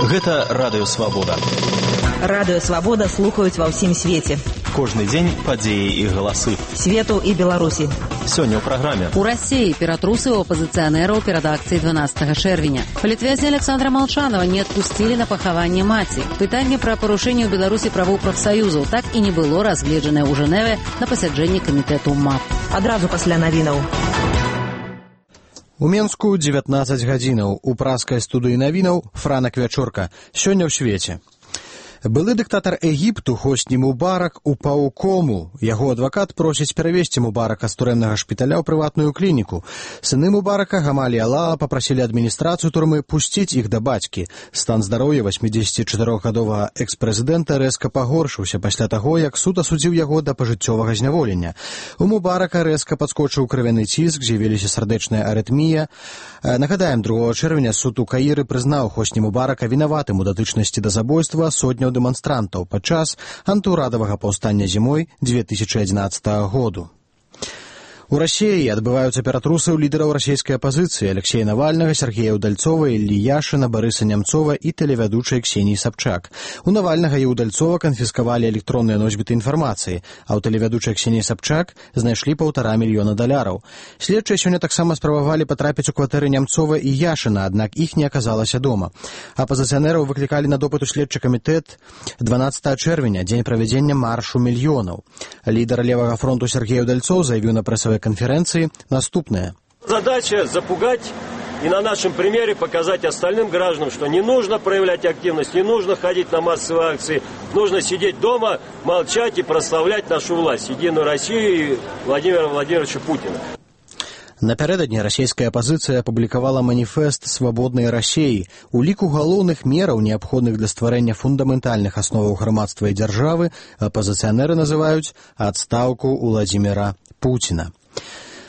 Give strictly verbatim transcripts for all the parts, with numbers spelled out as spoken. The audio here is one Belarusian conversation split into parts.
Гэта Радыё Свабода. Радыё Свабода слухаюць ва ўсім свеце. Кожны дзень падзеі і галасы. Свету і Беларусі. Сёння ў праграме. У России ператрусы у оппозиционеров перед акцией двенадцатого чэрвеня. Палітвязня Александра Молчанова не отпустили на пахаванне маці. Пытанне пра парушэнне ў Беларусі правоў прафсаюзаў так і не было разгледжанае ў Жэневе на пасяджэнні камітэту МАП. Адразу пасля навінаў. У Менску дзевятнаццаць гадзінаў. У праскай студыі навінаў Франак Вячорка. Сёння ў свеце. Былы дыктатар Егіпту Хосні Мубарак упаў у кому. Яго адвакат просіць перавесці Мубарака з турэмнага шпіталя ў прыватную клініку. Сыны Мубарака, Гамалі і Алала, папрасілі адміністрацыю турмы пусціць іх да бацькі. Стан здароўя васьмідзесяцічатырохгадовага экс-прэзідэнта рэзка пагоршыўся пасля таго, як суд асудзіў яго да пажыццёвага зняволення. У Мубарака рэзка падскочыў крывяны ціск, з'явіліся сардэчная арытмія. Нагадаем, другога чэрвеня суд у Каіры прызнаў Хосні Мубарака вінаватым у датычнасці да забойства сотняў дэманстрантаў падчас антыўрадавага паўстання зімой две тысячы адзінаццатага году. У Расіі адбываюцца ператрусы ў лідараў расійскай апазіцыі Алексея Навальнага, Сергея Удальцова, Іллі Яшына, Барыса Нямцова і тэлевядучай Ксеніі Сабчак. У Навальнага і Удальцова канфіскавалі электронныя носьбіты інфармацыі, а ў тэлевядучай Ксеніі Сабчак знайшлі паўтара мільёна даляраў. Следчыя сёння таксама спрабавалі патрапіць у кватэры Нямцова і Яшына, аднак іх не аказалася дома. Апазіцыянераў выклікалі на допыт у следчы камітэт дванаццатага чэрвеня, дзень правядзення маршу мільёнаў. Лідар левага фронту Сергей Удальцоў заявіў на прэсавай конференции наступное. Задача запугать и на нашем примере показать остальным гражданам, что не нужно проявлять активность, не нужно ходить на массовые акции, нужно сидеть дома, молчать и прославлять нашу власть, Единую Россию и Владимира Владимировича Путина. Напярэдадні расійская апазіцыя апублікавала маніфест свабоднай Расіі. У ліку галоўных мераў, неабходных для стварэння фундаментальных асноваў грамадства і дзяржавы, апазіцыянеры называюць адстаўку Уладзіміра Пуціна.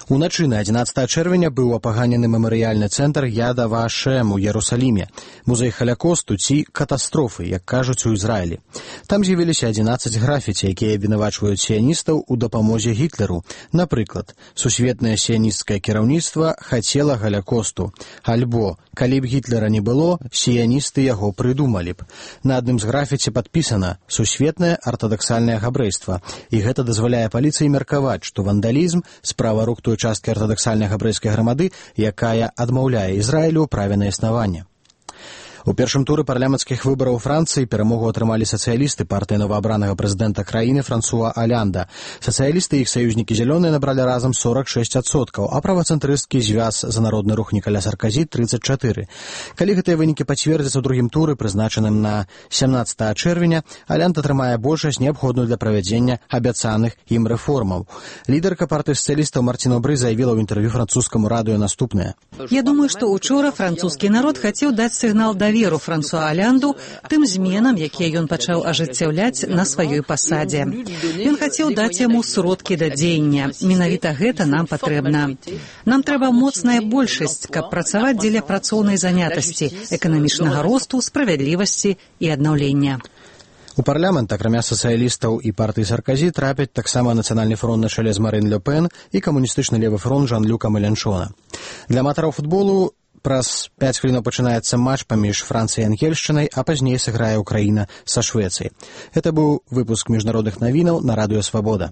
Уначы на адзінаццатага чэрвеня быў апаганены мемарыяльны цэнтр Яд ва-Шем у Ярусаліме, музей халякосту ці катастрофы, як кажуць у Ізраілі. Там з'явіліся адзінаццаць графіці, якія абвінавачваюць сіяністаў у дапамозе Гітлеру. Напрыклад, сусветнае сіянісцкае кіраўніцтва хацела халякосту. Альбо, калі б Гітлера не было, сіяністы яго прыдумалі б. На адным з графіці падпісана «Сусветнае артадаксальнае габрэйства», і гэта дазваляе паліцыі меркаваць, што вандалізм – справа рук той часткі артадаксальнай габрэйскай грамады, якая адмаўляе Ізраілю ў праве на існаванне. У першым туры парламенцкіх выбараў у Францыі перамогу атрымалі сацыялісты партыі новаабранага прэзідэнта краіны Франсуа Алянда. Сацыялісты і іх саюзнікі зялёныя набралі разам сорак шэсць адсоткаў, а правацэнтрысцкі звяз за народны рух Нікаля Сарказі трыццаць чатыры. Калі гэтыя вынікі пацвердзяцца ў другім туры, прызначаным на сямнаццатага чэрвеня, Алянд атрымае большасць, неабходную для правядзення абяцаных ім рэформаў. Лідарка партыі сацыялістаў Мартін Обры заявіла ў інтэрв'ю французскаму радыё наступнае. Я думаю, што учора французскі народ хацеў даць сігнал даверу веру Франсуа Алянду тым зменам, якія ён пачаў ажыццяўляць на сваёй пасадзе. Ён хацеў даць яму сродкі да дзеяння. Менавіта гэта нам патрэбна. Нам трэба моцная большасць, каб працаваць дзеля працоўнай занятасці, эканамічнага росту, справядлівасці і аднаўлення. У парламент, акрамя сацыялістаў і партыі Сарказі, трапяць таксама нацыянальны фронт на чале з Марин Ле Пен і камуністычны левы фронт Жан-Люка Мэленшона. Для аматараў футболу праз пяць хвілінаў пачынаецца матч паміж Францыяй і Ангельшчынай, а пазней сыграе Украіна са Швецыяй. Гэта быў выпуск міжнародных навінаў на Радыё Свабода.